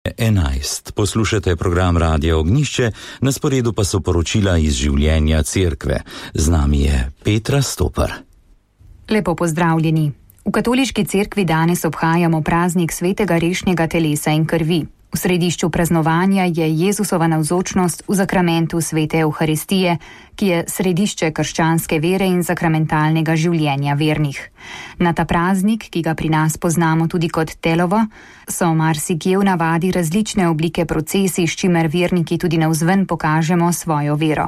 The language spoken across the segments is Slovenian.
11. Poslušate program Radia Ognjišče, na sporedu pa so poročila iz življenja cerkve. Z nami je Petra Stopar. Lepo pozdravljeni. V katoliški cerkvi danes obhajamo praznik svetega rešnjega telesa in krvi. V središču praznovanja je Jezusova navzočnost v zakramentu svete Evharistije, ki je središče krščanske vere in sakramentalnega življenja vernih. Na ta praznik, ki ga pri nas poznamo tudi kot telovo, so marsikje v navadi različne oblike procesij, s čimer verniki tudi navzven pokažemo svojo vero.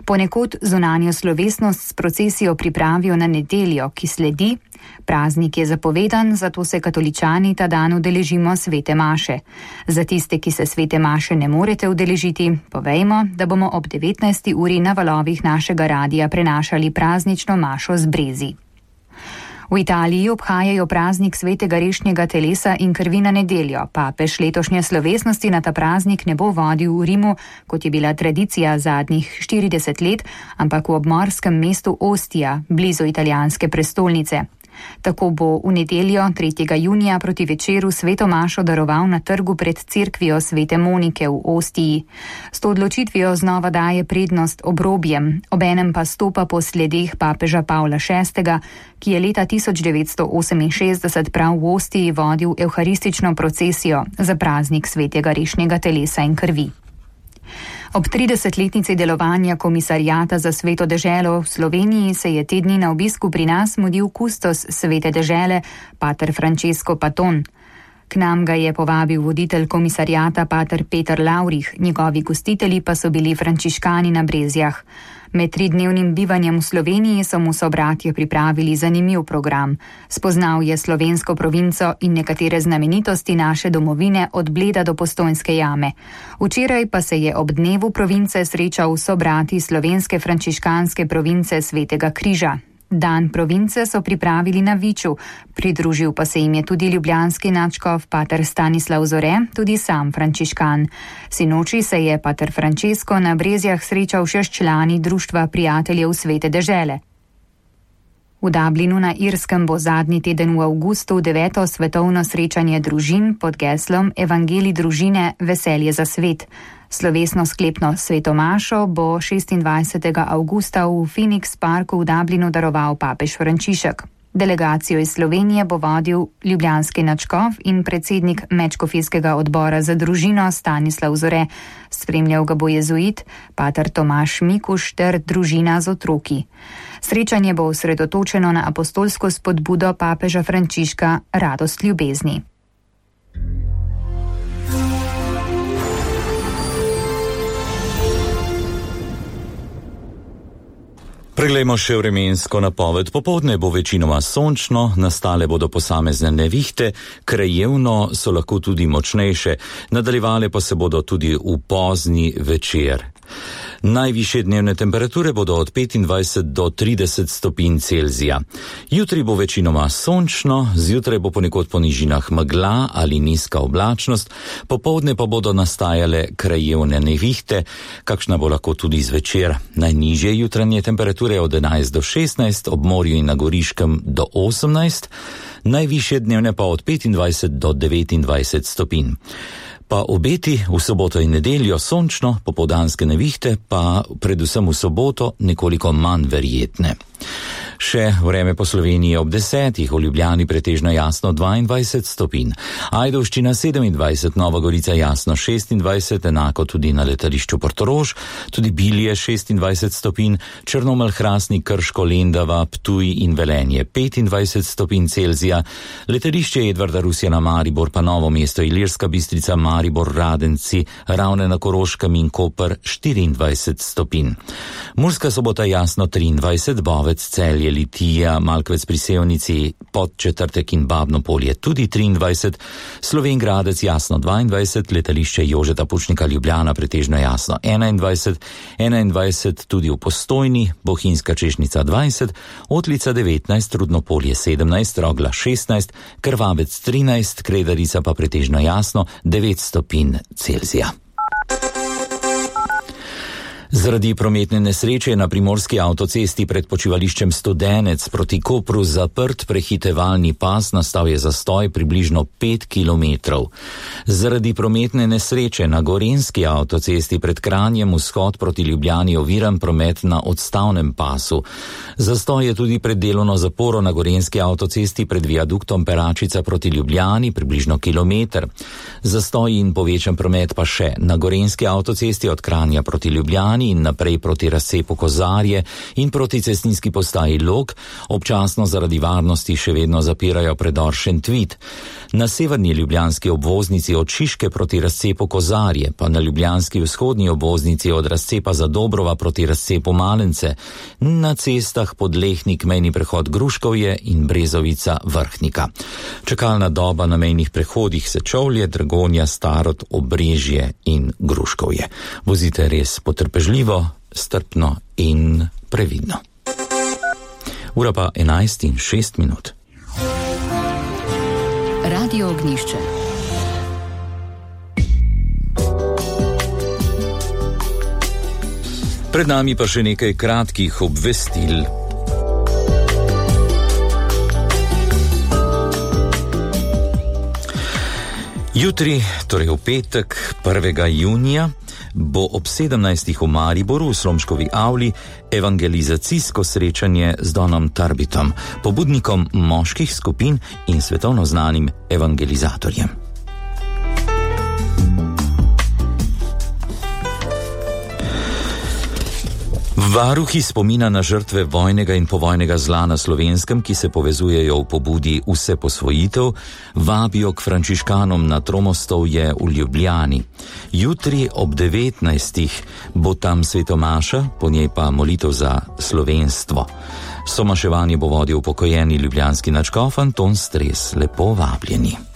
Ponekod zunanjo slovesnost s procesijo pripravijo na nedeljo, ki sledi. Praznik je zapovedan, zato se katoličani ta dan udeležimo svete maše. Za tiste, ki se svete maše ne morete udeležiti, povejmo, da bomo ob 19. uri na valovih našega radija prenašali praznično mašo z brezi. V Italiji obhajajo praznik svetega rešnjega telesa in krvi na nedeljo. Papež letošnje slovesnosti na ta praznik ne bo vodil v Rimu, kot je bila tradicija zadnjih 40 let, ampak v obmorskem mestu Ostia, blizu italijanske prestolnice. Tako bo v nedeljo 3. junija proti večeru sveto mašo daroval na trgu pred cerkvijo svete Monike v Ostiji. S to odločitvijo znova daje prednost obrobjem, obenem pa stopa po sledeh papeža Pavla VI., ki je leta 1968 prav v Ostiji vodil evharistično procesijo za praznik svetega rešnjega telesa in krvi. Ob 30-letnici delovanja komisarijata za sveto deželo v Sloveniji se je te dni na obisku pri nas mudil kustos svete dežele, pater Francesco Paton. K nam ga je povabil voditelj komisarijata pater Peter Laurih, njegovi gostitelji pa so bili frančiškani na Brezjah. Med 3-dnevnim bivanjem v Sloveniji so mu sobratje pripravili zanimiv program. Spoznal je slovensko provinco in nekatere znamenitosti naše domovine od Bleda do Postojnske jame. Včeraj pa se je ob dnevu province srečal s sobrati slovenske frančiškanske province Svetega križa. Dan province so pripravili na Viču, pridružil pa se jim je tudi ljubljanski nadškof pater Stanislav Zore, tudi sam frančiškan. Sinoči se je pater Francesco na Brezjah srečal še s člani Društva prijateljev svete dežele. V Dublinu na Irskem bo zadnji teden v avgustu 9. svetovno srečanje družin pod geslom Evangelij družine veselje za svet. Slovesno sklepno sveto mašo bo 26. avgusta v Phoenix Parku v Dublinu daroval papež Frančišek. Delegacijo iz Slovenije bo vodil ljubljanski nadškof in predsednik Medškofijskega odbora za družino Stanislav Zore. Spremljal ga bo jezuit pater Tomaž Mikuš ter družina z otroki. Srečanje bo osredotočeno na apostolsko spodbudo papeža Frančiška Radost ljubezni. Preglejmo še vremensko napoved. Popoldne bo večinoma sončno, nastale bodo posamezne nevihte, krajevno so lahko tudi močnejše, nadaljevale pa se bodo tudi v pozni večer. Najvišje dnevne temperature bodo od 25 do 30 stopinj Celzija. Jutri bo večinoma sončno, zjutraj bo ponekod po nižinah megla ali nizka oblačnost, popoldne pa bodo nastajale krajevne nevihte, kakšna bo lahko tudi zvečer. Najnižje jutranje temperature od 11 do 16, ob morju in na Goriškem do 18, najvišje dnevne pa od 25 do 29 stopinj. Pa obeti v soboto in nedeljo sončno, popoldanske nevihte pa predvsem v soboto nekoliko manj verjetne. Še vreme po Sloveniji ob 10, v Ljubljani pretežno jasno 22 stopinj, Ajdovščina 27, Nova Gorica jasno 26, enako tudi na letališču Portorož, tudi Bilje 26 stopinj, Črnomelj, Hrastnik, Krško, Lendava, Ptuj in Velenje 25 stopinj Celzija, letališče Edvarda Rusjana Maribor pa Novo mesto, Ilirska Bistrica, Maribor, Radenci, Ravne na Koroškem in Koper 24 stopinj. Murska Sobota jasno 23, Bovec, Celje, Litija, Malkovec pri Sevnici, Podčetrtek in Babno Polje tudi 23, Slovenj Gradec jasno 22, letališče Jožeta Pučnika Ljubljana pretežno jasno 21 tudi v Postojni, Bohinjska Češnica 20, Otlica 19, Rudnopolje 17, Rogla 16, Krvavec 13, Kredarica pa pretežno jasno 9 stopinj Celzija. Zaradi prometne nesreče na primorski avtocesti pred počivališčem Studenec proti Kopru zaprt prehitevalni pas, nastal je zastoj približno 5 kilometrov. Zaradi prometne nesreče na gorenjski avtocesti pred Kranjem vzhod proti Ljubljani oviran promet na odstavnem pasu. Zastoj je tudi pred delovno zaporo na gorenjski avtocesti pred viaduktom Peračica proti Ljubljani približno kilometer. Zastoj in povečan promet pa še na gorenjski avtocesti od Kranja proti Ljubljani in naprej proti razcepu Kozarje in proti cestninski postaji Log, občasno zaradi varnosti še vedno zapirajo predor Šentvid. Na severni ljubljanski obvoznici od Šiške proti razcepu Kozarje, pa na ljubljanski vzhodni obvoznici od razcepa Zadobrova proti razcepu Malence, na cestah Podlehnik, mejni prehod Gruškovje in Brezovica Vrhnika. Čakalna doba na mejnih prehodih Sečovlje, Dragonja, Starod, Obrežje in Gruškovje. Vozite res potrpežljivo, strpno in previdno. Ura pa 11:06. Radio Ognjišče. Pred nami pa še nekaj kratkih obvestil. Jutri, torej v petek 1. junija, bo ob 17. v Mariboru v Slomškovi avli evangelizacijsko srečanje z Donom Tarbitom, pobudnikom moških skupin in svetovno znanim evangelizatorjem. Varuhi spomina na žrtve vojnega in povojnega zla na Slovenskem, ki se povezujejo v pobudi Vse posvojitev, vabijo k frančiškanom na Tromostovje v Ljubljani. Jutri ob 19. bo tam svetomaša, po njej pa molitev za slovenstvo. Somaševanje bo vodil upokojeni ljubljanski nadškof Anton Stres. Lepo vabljeni.